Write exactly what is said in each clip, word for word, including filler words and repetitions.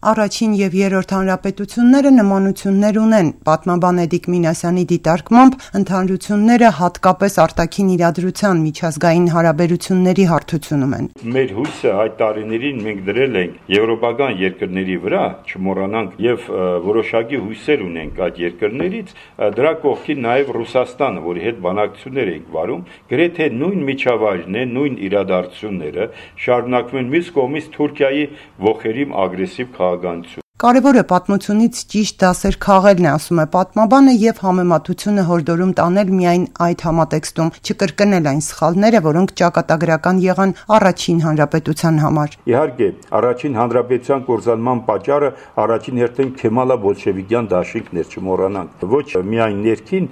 Առաջին եւ երրորդ հանրապետությունները նմանություններ ունեն։ Պատմաբան Էդիկ Մինասյանի դիտարկմամբ ընդհանրությունները հատկապես արտաքին իրադրության միջազգային հարաբերությունների հարթությունում են։ Մեր հույսը այդ տարիներին մենք դրել ենք եվրոպական երկրների վրա, չմոռանանք, եւ որոշակի հույսեր ունենք այդ երկրներից, դրա կողքին նաեւ Ռուսաստանը, որի հետ բանակցություններ ենք վարում, գրեթե նույն միջավայրն է, նույն իրադարձությունները շարունակվում են մյուս կողմից Թուրքիայի ողերիմ ագրեսիվ քաղաքականություն։ Կարևոր է պատմությունից ճիշտ դասեր քաղելն է, ասում է պատմաբանը, եւ համեմատությունը հորդորում տանել միայն այդ համատեքստում, չկրկնել այն սխալները, որոնք ճակատագրական եղան առաջին հանրապետության համար։ Իհարկե, առաջին հանրապետության կործանման պատճառը առաջին հերթին Քեմալա բոլշևիկյան դաշինքն էր, չմոռանանք։ Ոչ միայն ներքին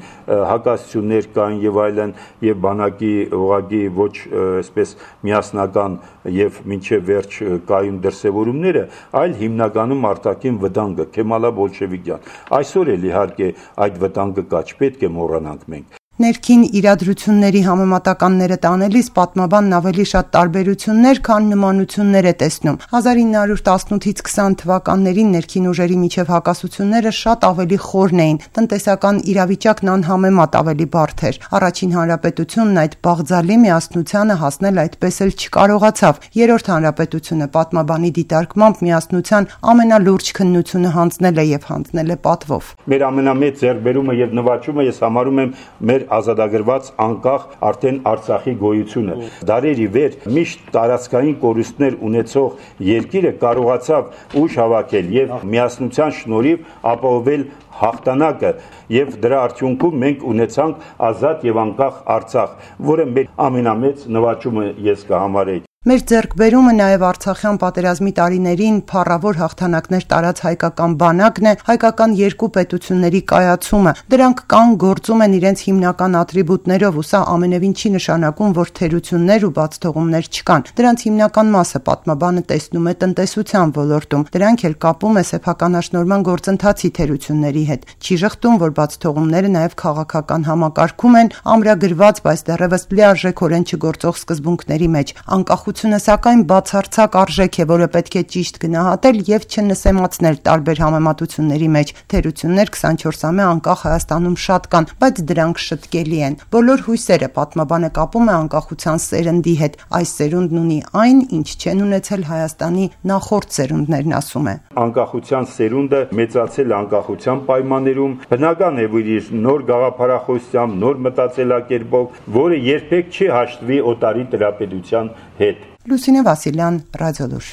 հակասություններ կային եւ այլն, եւ բանակի ուղղակի ոչ այսպես միասնական եւ մինչեւ վերջ կայուն դրսեւորումները, այլ հիմնականում արտաքին վտանգը Քեմալա բոլշևիկյան։ Այսօր էլ իհարկե այդ վտանգը կա, չպետք է մոռանանք մենք։ Ներքին իրադրությունների համեմատականները տանելիս պատմաբանն ավելի շատ տարբերություններ, քան նմանություններ է տեսնում։ հազար ինը հարյուր տասնութից քսան թվականներին ներքին ուժերի միջև հակասությունները շատ ավելի խորն էին, տնտեսական իրավիճակն անհամեմատ ավելի բարդ էր։ Առաջին հանրապետությունն այդ բաղձալի միասնությանը հասնել այդպես էլ չկարողացավ։ Երրորդ հանրապետությունը պատմաբանի դիտարկմամբ միասնության ամենալուրջ քննությունը հանձնել է եւ հանձնել է պատվով։ Մեր ամենամեծ ձեռքբերումը եւ նվաճումը ես համարում եմ մեր ազատագրված անկախ արդեն Արցախի գոյությունը։ Դարերի վեր միշտ տարածքային կորուստներ ունեցող երկիրը կարողացավ ուժ հավաքել եւ միասնության շնորհիվ ապահովել հաղթանակը եւ դրա արդյունքում մենք ունեցանք ազատ եւ անկախ Արցախ, որը մեր ամենամեծ նվաճումը ես կհամարեի։ Մեր ձեռքբերումը նաև Արցախյան պատերազմի տարիներին փառավոր հաղթանակներ տարած հայկական բանակն է, հայկական երկու պետությունների կայացումը։ Դրանք կան գործում են իրենց հիմնական ատրիբուտներով, ու սա ամենևին չի նշանակում, որ թերություններ ու բացթողումներ չկան։ Դրանց հիմնական մասը պատմաբանը տեսնում է տնտեսության ոլորտում։ Դրանք էլ կապում է սեփականաշնորհման գործընթացի թերությունների հետ։ Չի ժխտում, որ բացթողումները նաև քաղաքական համակարգում են, ամրագրված, բայց դեռևս լիարժեքորեն չգործող սկզբունքների մեջ։ Անկախ Սակայն բացարձակ արժեք է, որը պետք է ճիշտ գնահատել եւ չնսեմացնել տարբեր համեմատությունների մեջ։ Թերություններ քսանչորսամյա անկախ Հայաստանում շատ կան, բայց դրանք շտկելի են։ Բոլոր հույսերը պատմաբանը կապում է անկախության սերնդի հետ։ Այս սերունդն ունի այն, ինչ չեն ունեցել Հայաստանի նախորդ սերունդներն, ասում է։ Անկախության սերունդը մեծացել է անկախության պայմաններում, բնական է, որ իր նոր գաղափարախոսությամբ, նոր մտածելակերպով, որը երբեք չի հաշտվի օտարի տիրապետության հետ։ Լուսինե Վասիլյան, Ռադիոլուր։